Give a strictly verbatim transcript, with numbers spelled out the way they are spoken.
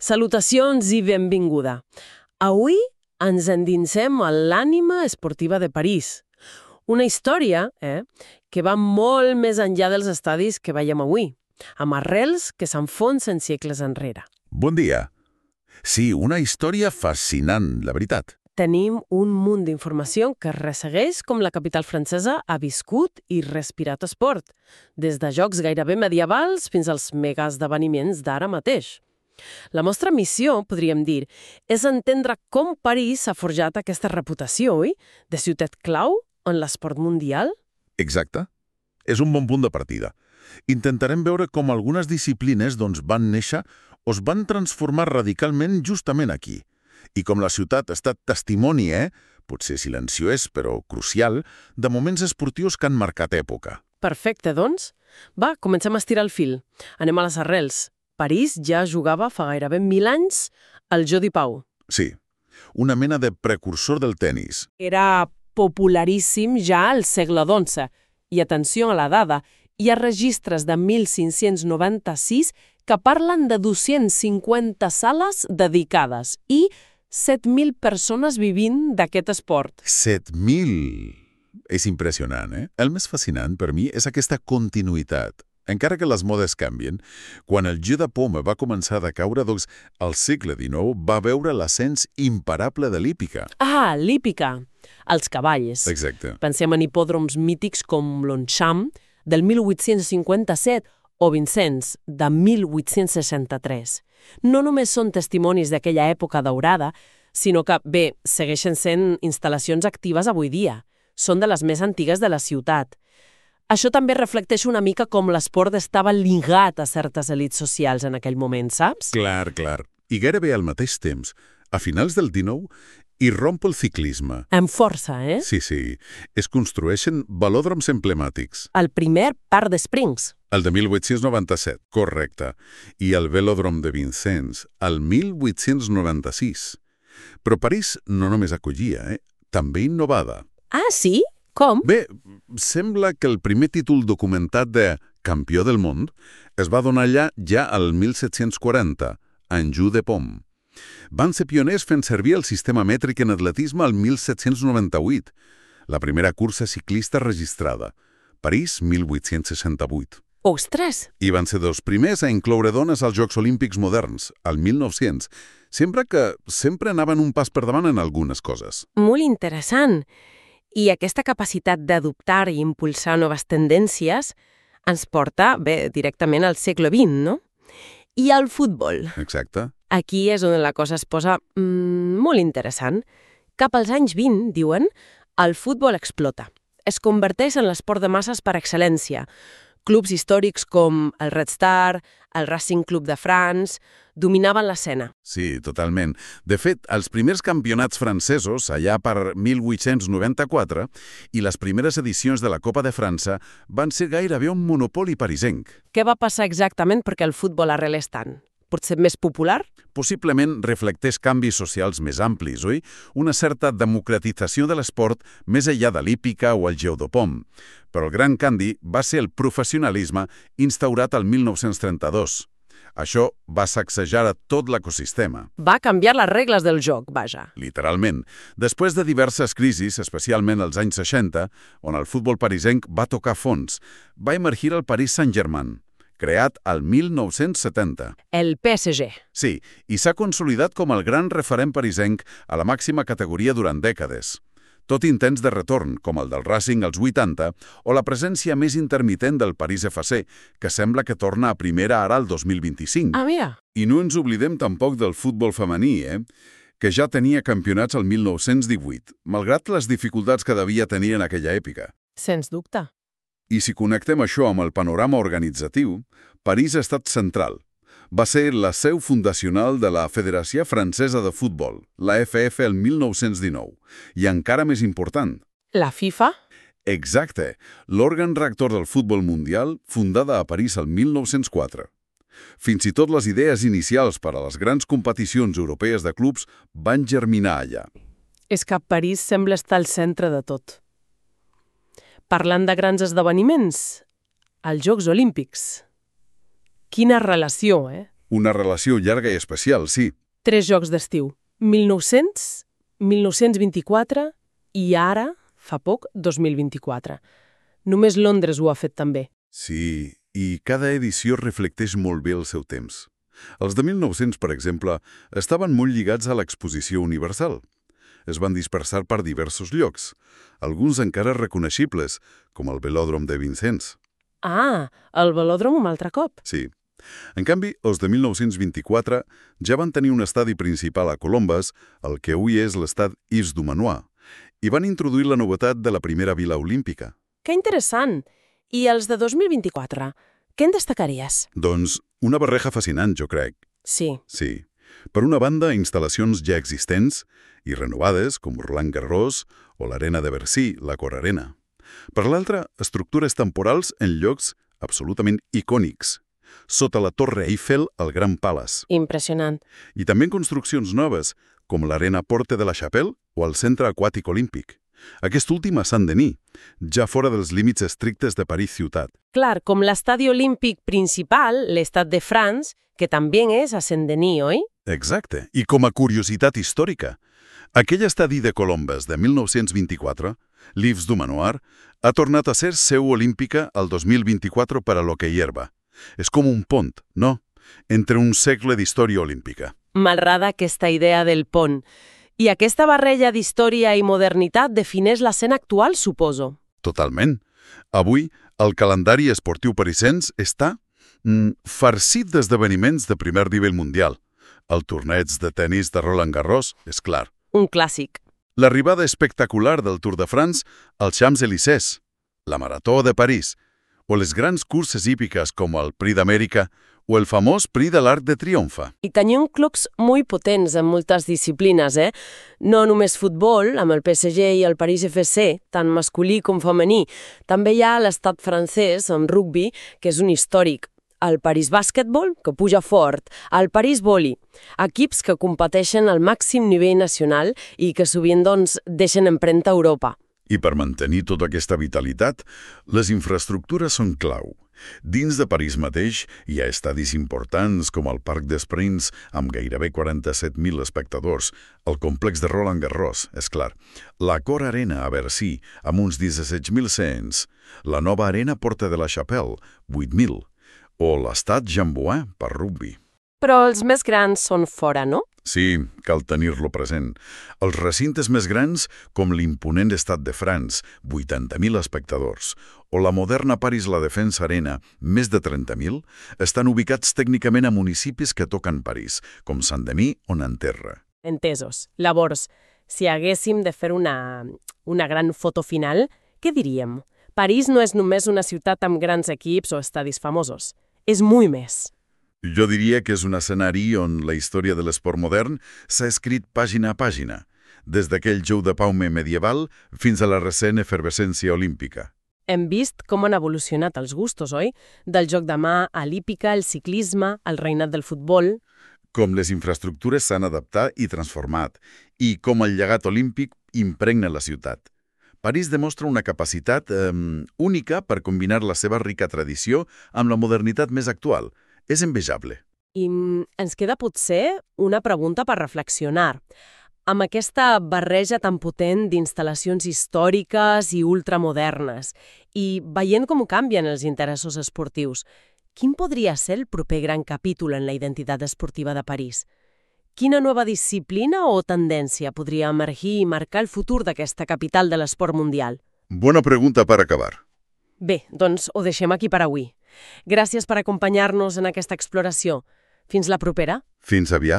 Salutacions i benvinguda. Avui ens endinsem a l'ànima esportiva de París. Una història eh, que va molt més enllà dels estadis que veiem avui, amb arrels que s'enfonsen segles enrere. Bon dia. Sí, una història fascinant, la veritat. Tenim un munt d'informació que ressegueix com la capital francesa ha viscut i respirat esport, des de jocs gairebé medievals fins als megaesdeveniments d'ara mateix. La nostra missió, podríem dir, és entendre com París ha forjat aquesta reputació, oi? De ciutat clau en l'esport mundial? Exacte. És un bon punt de partida. Intentarem veure com algunes disciplines doncs, van néixer o es van transformar radicalment justament aquí. I com la ciutat ha estat testimoni, eh? potser silenciós, però crucial, de moments esportius que han marcat època. Perfecte, doncs. Va, comencem a estirar el fil. Anem a les arrels. París ja jugava fa gairebé mil anys al Jeu Pau. Sí, una mena de precursor del tennis. Era popularíssim ja al segle dotze. I atenció a la dada, hi ha registres de mil cinc-cents noranta-sis que parlen de dues-centes cinquanta sales dedicades i set mil persones vivint d'aquest esport. set mil! És impressionant, eh? El més fascinant per mi és aquesta continuïtat. Encara que les modes canvien, quan el Jeu de Paume va començar a decaure, doncs, al segle dinou va veure l'ascens imparable de l'hípica. Ah, l'hípica. Els cavalls. Exacte. Pensem en hipòdroms mítics com Longchamp, del mil vuit-cents cinquanta-set, o Vincennes, de mil vuit-cents seixanta-tres. No només són testimonis d'aquella època daurada, sinó que, bé, segueixen sent instal·lacions actives avui dia. Són de les més antigues de la ciutat. Això també reflecteix una mica com l'esport estava lligat a certes elits socials en aquell moment, saps? Clar, clar. I gairebé al mateix temps, a finals del dinou, hi romp el ciclisme. Amb força, eh? Sí, sí. Es construeixen velòdroms emblemàtics. El primer Parc des Springs. El de mil vuit-cents noranta-set, correcte. I el velòdrom de Vincennes, el mil vuit-cents noranta-sis. Però París no només acollia, eh? També innovava. Ah, sí? Com? Bé, sembla que el primer títol documentat de campió del món es va donar allà ja al mil set-cents quaranta, en Jeu de Paume. Van ser pioners fent servir el sistema mètric en atletisme al mil set-cents noranta-vuit, la primera cursa ciclista registrada. París, mil vuit-cents seixanta-vuit. Ostres! I van ser dels primers a incloure dones als Jocs Olímpics moderns, al mil nou-cents, sempre que sempre anaven un pas per davant en algunes coses. Molt interessant. I aquesta capacitat d'adoptar i impulsar noves tendències ens porta, bé, directament al segle vint, no? I al futbol. Exacte. Aquí és on la cosa es posa mm, molt interessant. Cap als anys vint, diuen, el futbol explota. Es converteix en l'esport de masses per excel·lència. Clubs històrics com el Red Star, el Racing Club de France, dominaven l'escena. Sí, totalment. De fet, els primers campionats francesos, allà per mil vuit-cents noranta-quatre, i les primeres edicions de la Copa de França van ser gairebé un monopoli parisenc. Què va passar exactament perquè el futbol arrelés tant? Potser més popular? Possiblement reflecteix canvis socials més amplis, oi? Una certa democratització de l'esport més enllà de l'hípica o el Jeu de Paume. Però el gran canvi va ser el professionalisme instaurat al mil nou-cents trenta-dos. Això va sacsejar a tot l'ecosistema. Va canviar les regles del joc, vaja. Literalment. Després de diverses crisis, especialment als anys seixanta, on el futbol parisenc va tocar fons, va emergir el Paris Saint-Germain, creat al mil nou-cents setanta. El P S G. Sí, i s'ha consolidat com el gran referent parisenc a la màxima categoria durant dècades. Tot intents de retorn, com el del Racing als vuitanta, o la presència més intermitent del París F C, que sembla que torna a primera ara al dos mil vint-i-cinc. Ah, mira. I no ens oblidem tampoc del futbol femení, eh? que ja tenia campionats al mil nou-cents divuit, malgrat les dificultats que devia tenir en aquella època. Sens dubte. I si connectem això amb el panorama organitzatiu, París ha estat central. Va ser la seu fundacional de la Federació Francesa de Futbol, la F F, el mil nou-cents dinou. I encara més important. La FIFA? Exacte, l'òrgan rector del futbol mundial, fundada a París el mil nou-cents quatre. Fins i tot les idees inicials per a les grans competicions europees de clubs van germinar allà. És que París sembla estar al centre de tot. Parlant de grans esdeveniments, els Jocs Olímpics. Quina relació, eh? Una relació llarga i especial, sí. Tres jocs d'estiu. mil nou-cents, mil nou-cents vint-i-quatre i ara, fa poc, dos mil vint-i-quatre. Només Londres ho ha fet també. Sí, i cada edició reflecteix molt bé el seu temps. Els de mil nou-cents, per exemple, estaven molt lligats a l'exposició universal. Es van dispersar per diversos llocs, alguns encara reconeixibles, com el velòdrom de Vincennes. Ah, el velòdrom un altre cop. Sí. En canvi, els de mil nou-cents vint-i-quatre ja van tenir un estadi principal a Colombes, el que avui és l'estad Yves du Manoir, i van introduir la novetat de la primera vila olímpica. Que interessant! I els de dos mil vint-i-quatre, què en destacaries? Doncs una barreja fascinant, jo crec. Sí. Sí. Per una banda, instal·lacions ja existents i renovades, com Roland Garros o l'Arena de Bercy, la Cor Arena. Per l'altra, estructures temporals en llocs absolutament icònics, sota la Torre Eiffel al Grand Palace. Impressionant. I també construccions noves, com l'Arena Porte de la Chapelle o el Centre Aquàtic Olímpic. Aquest últim a Saint-Denis, ja fora dels límits estrictes de París ciutat. Clar, com l'estadi olímpic principal, l'Estade de France, que també és a Saint-Denis, oi? Exacte. I com a curiositat històrica, aquell estadi de Colombes de mil nou-cents vint-i-quatre, l'Yves du Manoir, ha tornat a ser seu olímpica el dos mil vint-i-quatre per a l'hoquei herba. És com un pont, no? Entre un segle d'història olímpica. M'agrada aquesta idea del pont. I aquesta barreja d'història i modernitat defineix l'escena actual, suposo. Totalment. Avui, el calendari esportiu parisenc està mm, farcit d'esdeveniments de primer nivell mundial. El torneig de tennis de Roland Garros, és clar. Un clàssic. L'arribada espectacular del Tour de France als Champs-Élysées, la Marató de París, o les grans curses hípiques com el Prix d'Amèrica o el famós Prix de l'Arc de Triomfa. I tenim clubs molt potents en moltes disciplines, eh? No només futbol, amb el P S G i el París F C, tant masculí com femení. També hi ha l'estat francès, amb rugby, que és un històric. El París Bàsquetbol, que puja fort, el París Voli, equips que competeixen al màxim nivell nacional i que sovint doncs, deixen empremta a Europa. I per mantenir tota aquesta vitalitat, les infraestructures són clau. Dins de París mateix hi ha estadis importants com el Parc des Princes amb gairebé quaranta-set mil espectadors, el complex de Roland Garros, és clar, la Cor Arena a Bercy amb uns disset mil cents, la nova Arena Porte de la Chapelle, vuit mil, o l'Estade Jean-Bouin per rugby. Però els més grans són fora, no? Sí, cal tenir-lo present. Els recintes més grans, com l'imponent Estat de France, vuitanta mil espectadors, o la moderna Paris La Défense Arena, més de trenta mil, estan ubicats tècnicament a municipis que toquen París, com Saint-Denis o Nanterre. Entesos. Llavors, si haguéssim de fer una, una gran foto final, què diríem? París no és només una ciutat amb grans equips o estadis famosos. És molt més. Jo diria que és un escenari on la història de l'esport modern s'ha escrit pàgina a pàgina, des d'aquell jou de paume medieval fins a la recent efervescència olímpica. Hem vist com han evolucionat els gustos, oi? Del joc de mà a l'hípica, el ciclisme, el reinat del futbol. Com les infraestructures s'han adaptat i transformat, i com el llegat olímpic impregna la ciutat. París demostra una capacitat eh, única per combinar la seva rica tradició amb la modernitat més actual. És envejable. I ens queda potser una pregunta per reflexionar. Amb aquesta barreja tan potent d'instal·lacions històriques i ultramodernes, i veient com canvien els interessos esportius, quin podria ser el proper gran capítol en la identitat esportiva de París? Quina nova disciplina o tendència podria emergir i marcar el futur d'aquesta capital de l'esport mundial? Bona pregunta per acabar. Bé, doncs ho deixem aquí per avui. Gràcies per acompanyar-nos en aquesta exploració. Fins la propera. Fins aviat.